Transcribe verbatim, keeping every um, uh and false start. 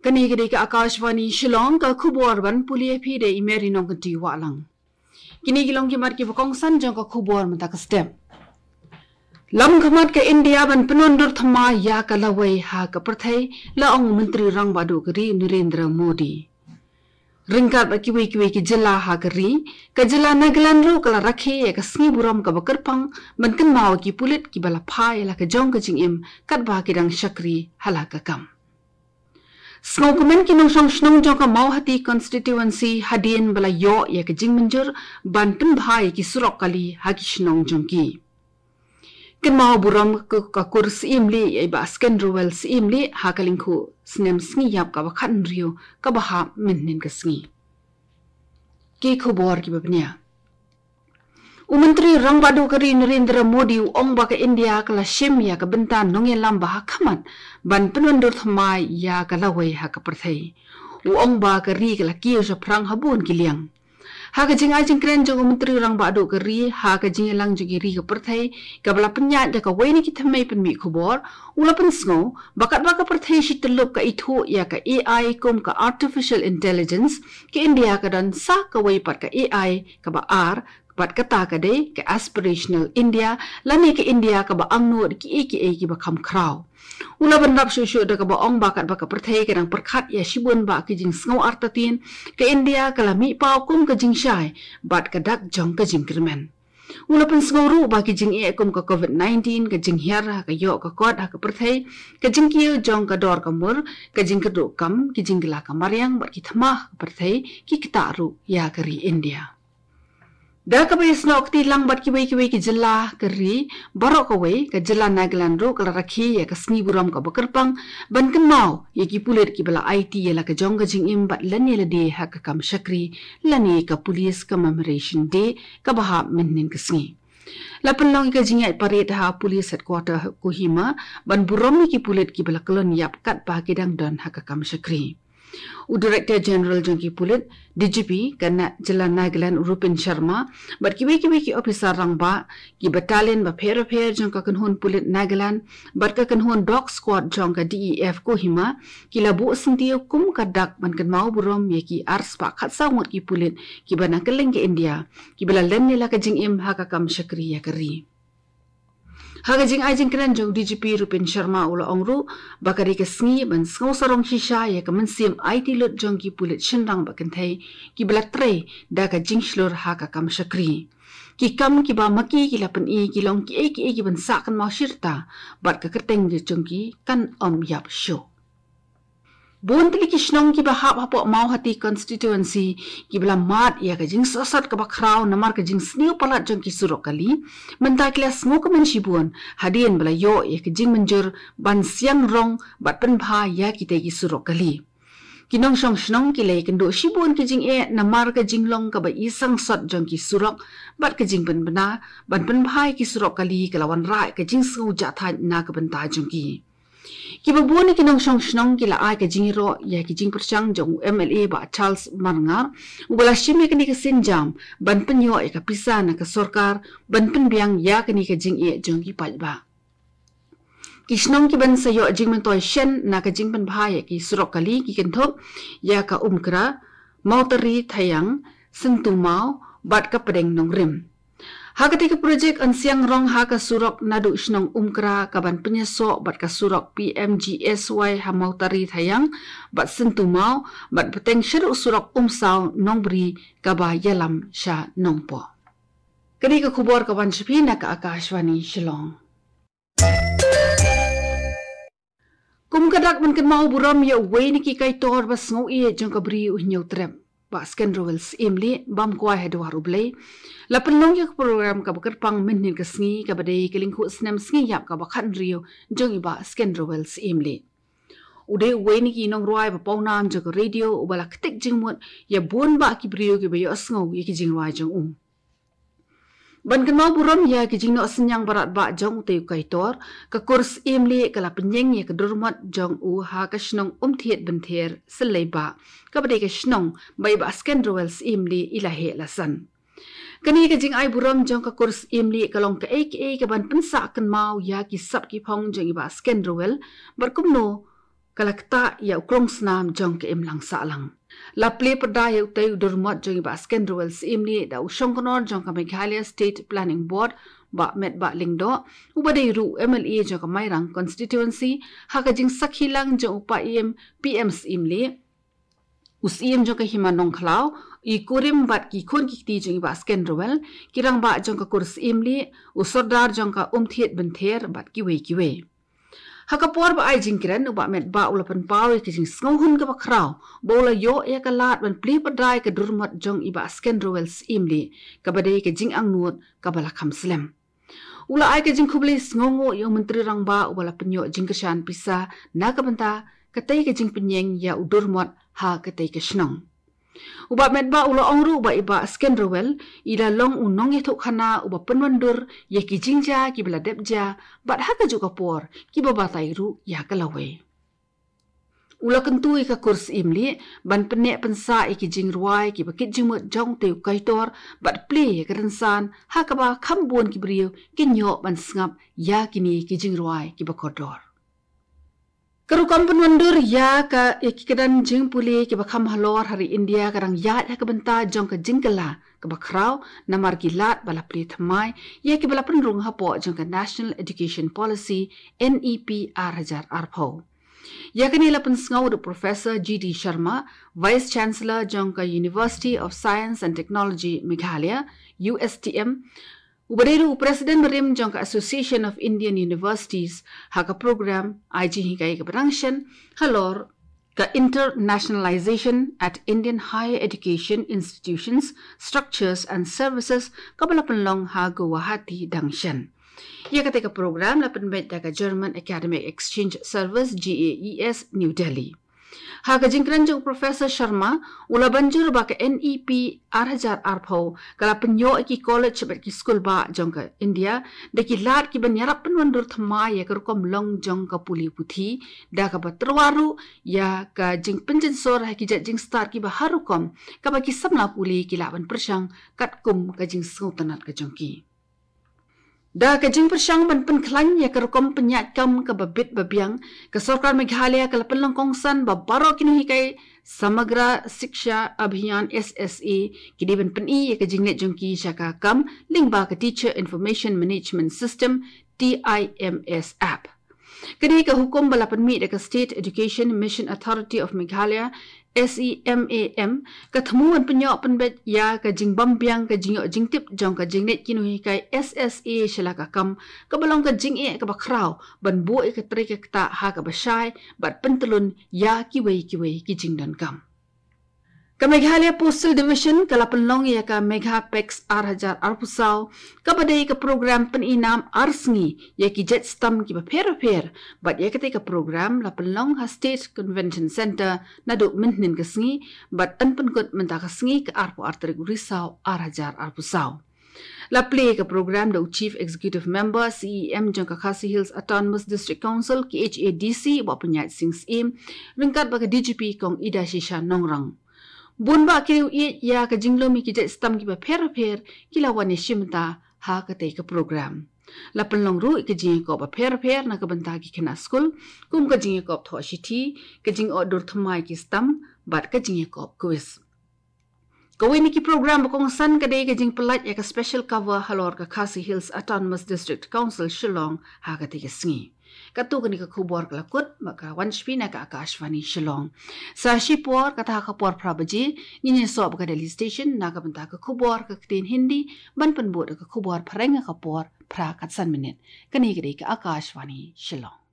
Kane ka dei ka Akashvani Shillong, ka khubor ban pule ïa phi da i Mary Nongkynti Wahlang. Kine ki long ki mat kiba kongsan jong ka khubor mynta ka step. Lam khmat ka India ban pynwandur thymmai ïa ka lawei ha ka pyrthei, la ong u Myntri Rangbah Duh ka ri Narendra Modi. Ryngkat bad kiwei kiwei ki jylla ha ka ri, ka jylla Nagaland ruh ka la rakhe ïa ka sngi burom kaba kyrpang ban kynmaw ki pulit kiba la phah ïa la ka jong ka jingim katba ki dang shakri ha la ka kam. Sngewkmen ki nongshong shnong jong ka Mawhati constituency hadien ba la ïoh ïa ka jingmynjur ban pynbha ïa ki surok kali ha ki shnong jong ki. Kynmaw burom ka, ka kur Syiemlieh ïa i Bah Skenrowell Syiemlieh ha ka lyngkhuh snem sngi ïap kaba khathynriew kaba hap mynhynnin ka sngi. Ki khubor kiba bniah. U Myntri Rangbah Duh ka ri Narendra Modi u ong ba ka India ka la shim ïa ka bynta nongïalam ba ha khmat ban pynwandur thymmai ïa ka lawei ha ka pyrthei. U ong ba ka ri ka la kiew shaphrang ha bun ki liang. Ha ka jingai jingkren jong u Myntri Rangbah Duh ka ri ha ka jingïalang jong ki ri ka pyrthei kaba la pynïaid da kawei na ki thymmei pynmih khubor, u la pynsngew ba katba ka pyrthei shi tyllup ka ithuh ïa ka A I kum ka artificial intelligence, ka India ka don sa kawei pat ka A I kaba ar, bad kata ka dei ka aspirational India, lane ka India kaba angnud kiei kiei kiba kham khraw. U la bynrap shuh shuh da kaba ong ba katba ka pyrthei ka dang pyrkhat ïa shibun bah ki jingsngew artatien, ka India ka la mih paw kum ka jingshai bad ka dak jong ka jingkyrmen. U la pynsngew ruh ba ki jingeh kum ka covid nineteen, ka jinghiar ha ka ïoh ka kot ha ka pyrthei, ka jingkiew jong ka dor ka mur, ka jingkyrduh kam, ki jingkylla ka mariang bad ki thma ha ka pyrthei ki ktah ruh ïa ka ri India. Da kaba ïasnoh kti lang bad kiwei kiwei ki jylla ka ri baroh kawei, ka jylla Nagaland ruh ka la rakhe ïa ka sngi burom kaba kyrpang ban kynmaw ïa ki pulit kiba la aiti ïa la ka jong ka jingim bad lane lade ha ka kam shakri, lane ka Police Commemoration Day kaba hap mynhynnin ka sngi. La pynlong ïa ka jingïaid parade ha Police Headquarter Kohima ban burom ïa ki pulit kiba la kyllon ïap katba ki dang don ha ka kam shakri. U Director General jong ki pulit, D G P, ka na jylla Nagaland, Rupin Sharma, bad kiwei kiwei ki ophisar rangbah, ki battalion bapher bapher jong ka kynhun pulit Nagaland bad ka kynhun dog squad jong ka D E F Kohima, ki la buh syntiew kum ka dak ban kynmaw burom ïa ki arspah khatsaw ngut ki pulit kiba na kylleng ka India kiba la len ïa la ka jingim ha ka kam shakri ïa ka ri. Ha ka jingai jingkren jong D G P Rupin Sharma u la ong ruh ba ka dei ka sngi ban sngew sarong shisha ïa ka mynsiem aiti lut jong ki pulit shynrang bad kynthei kiba la trei da ka jingshlur ha ka kam shakri. Ki kam kiba ma ki ki la pyni ki long kiei kiei kiban sah kynmaw shirta bad ka kyrteng jong ki kan ym ïap shuh. Bun tylli ki shnong kiba hap hapoh Mawhati constituency kiba la mad ïa ka jingsohsat kaba khraw namar ka jingsniew palat jong ki surok kali, mynta ki la sngewkmen shibun hadien ba la ïoh ïa ka jingmynjur ban siang rong bad pynbha ïa kitei ki surok kali. Ki nongshong shnong ki la ïakynduh shibun ki jingeh namar ka jinglong kaba i sangsot jong ki surok bad ka jingpynbna ban pynbha ïa ki surok kali ka la wanrah ïa ka jingsngew jahthait na ka bynta jong ki. Kiba bun na ki nongshong shnong ki la ai ka jingïaroh ïa ki jingpyrshang jong u M L A Bah Charles Marngar, uba la shim ïa kane ka sienjam ban pynïoh ïa ka pisa na ka sorkar ban pynbiang ïa kane ka jingeh jong ki paidbah. Ki shnong kiban sa ïoh jingmyntoi shen na ka jingpynbha ïa ki surok kali ki kynthup ïa ka Umkra, Mawtari Thaiang, Syntu Maw bad ka Pdeng Nongrim. Ha katei ka projek yn siang rong ha ka surok naduh shnong Umkra kaban pynïasoh bad ka surok P M G S Y ha Mawtari Thaiang bad Syntu Maw bad bteng shaduh surok Umsaw Nongbri kaba ïalam sha Nongpoh. Ka dei ka khubor ka wan sha phi na ka Akashvani Shillong. Kum ka dak ban kynmaw burom ïa uwei na ki kaitor ba sngewieit jong ka Bri u Hynñiewtrep, Bah Skenrowell Syiemlieh, bam kwai ha dwar U Blei, la pynlong ïa ka program kaba kyrpang mynhynnin ka sngi kaba dei ka lyngkhuh snem sngi ïap kaba khathynriew jong i Bah Skenrowell Syiemlieh. U dei uwei na ki nongrwai ba pawnam jong ka radio uba la ktik jingmut ïa bun bah ki briew kiba ïohsngew ïa ki jingrwai jong u. Ban kynmaw burom ïa ki jingnoh synñiang barat bah jong utei u kaitor, ka kur Syiemlieh ka la pynïeng ïa ka durmot jong u ha ka shnong Umthied Bynther Syllei bah, kaba dei ka shnong ba i Bah Skenrowell Syiemlieh i la heh la san. Kane ka jingai burom jong ka kur Syiem Lieh ka long kaei kaei kaban pynsah kynmaw ïa ki sap ki phong jong i Bah Sken Rowell, bad kumno ka la ktah ïa u klong snam jong ka imlang sahlang. La plie pyrda ïa utei u dur mot jong i Bah Sken Rowell Syiem Lieh da u shongknor jong ka Meghalaya State Planning Board, Bah Metbah Lyngdoh, uba dei ruh u M L A jong ka Mairang constituency, ha ka jingsakhi lang jong u Paiem P M Syiem Lieh, u Syiem jong ka Hima Nongkhlaw, i kurim bad ki khun ki kti jong i Bah Sken Rowell, ki rangbah jong ka kur Syiem Lieh, u sordar jong ka Umthied Bynther bad kiwei kiwei. Ha ka por ba ai jingkren, u Bah Metbah u la pynpaw ïa ka jingsngewhun kaba khraw ba u la ïoh ïa ka lad ban plie pyrda ïa ka dur mot jong i Bah Sken Rowell Syiem Lieh, kaba dei ka jingangnud kaba la kham slem. U la ai ka jingkhublei sngewnguh ïa u Myntri Rangbah uba la pynïoh jingkyrshan pisa na ka bynta katei ka jingpynïeng ïa u dur mot ha katei ka shnong. U Bah Metbah u la ong ruh ba i Bah Sken Rowell i la long u nongïathuhkhana uba pynwandur ïa ki jingjia kiba la dep jia, bad ha kajuh ka por kiba batai ruh ïa ka lawei. U la kyntu ïa ka kur Syiem Lieh ban pynneh pynsah ïa ki jingrwai kiba kit jingmut jong utei u kaitor, bad plie ïa ka rynsan ha kaba kham bun ki briew kin ïoh ban sngap ïa kine ki jingrwai kiba kordor. Ka rukom pynwandur ïa ka, ïa ki kyrdan jingpule kiba kham halor ha ri India ka dang ïaid ha ka bynta jong ka jingkylla kaba khraw, namar ki lad ba la plie thymmai ïa kiba la pynrung hapoh jong ka National Education Policy, N E P, ar hajar arphew. Ïa kane la pynsngew da u Professor G D Sharma, Vice Chancellor jong ka University of Science and Technology Meghalaya, U S T M, uba dei ruh u President barim jong ka Association of Indian Universities, ha ka program ai jinghikai kaba dang shen halor ka Internationalization at Indian Higher Education Institutions, Structures and Services, kaba la pynlong ha Guwahati dang shen. Ïa katei ka program la pynbeit da ka German Academic Exchange Service, G A E S, New Delhi. Ha ka jingkren jong u Professor Sharma, u la ban jur ba ka N E P ar hajar arphew ka la pynïoh ïa ki college bad ki skul bah jong ka India da ki lad kiban ïarap pynwandur thymmai ïa ka rukom long jong ka pule puthi, da kaba tyrwa ruh ïa ka jingpynjynsor ha ki jait jingstad kiba har rukom, kaba ki samla pule ki lah ban pyrshang katkum ka jingsngewtynnat ka jong ki. Da ka jingpyrshang ban pynkhlaiñ ïa ka rukom pynïaid kam kaba bit ba biang, ka Sorkar Meghalaya ka la pynlong kongsan ba baroh ki nonghikai Samagra Shiksha Abhiyan, S S A, ki dei ban pyni ïa ka jingleit jong ki sha ka kam lyngba ka Teacher Information Management System, T I M S app. Ka dei ka hukum ba la pynmih da ka State Education Mission Authority of Meghalaya, S E M A M, ka thmu ban pynïoh pynbeit ïa ka jingbym biang ka jingïoh jingtip jong ka jingleit ki nonghikai S S A sha la ka kam, kaba long ka jingeh kaba khraw ban buh ïa ka trei ka ktah ha kaba shai bad pyntyllun ïa kiwei kiwei ki jingdonkam. Ka Meghalaya Postal Division ka la pynlong ïa ka Megha Pax ar hajar arphew saw, kaba dei ka program pyni nam ar sngi ïa ki jait stamp kiba pher bapher, bad ïa katei ka program la pynlong ha State Convention Centre naduh mynhynnin ka sngi, bad yn pynkut mynta ka sngi, ka arphew ar tarik u Risaw ar hajar arphew saw. La plie ka program da u Chief Executive Member, C E M, jong ka Khasi Hills Autonomous District Council, K H A D C, Bah Pynïaid Sing Syiem, ryngkat bad ka D G P Kong Idashisha Nongrang. Bun bah ki riew ïeit ïa ka jinglum ïa ki jait stamp kiba pher bapher ki la wan ïashim bynta ha katei ka program. La pynlong ruh ïa ka jingïakop bapher bapher na ka bynta ki khynnah skul, kum ka jingïakop thoh shithi, ka jingïoh dur thymmai ki stamp, bad ka jingïakop quiz. Kawei na ki program ba kongsan ka dei ka jingpyllait ïa ka special cover halor ka Khasi Hills Autonomous District Council Shillong ha katei ka sngi. Katto kane ka khubor ka la kut, bad ka wan sha phi na ka Akashvani Shillong. Sa shipor, kata ha ka por phra baje, ngin ïasoh bad ka Delhi Station na ka bynta ka khubor ka ktien Hindi, ban pynbud da ka khubor phareng ha ka por phra kat san minit. Kane ka dei ka Akashvani Shillong.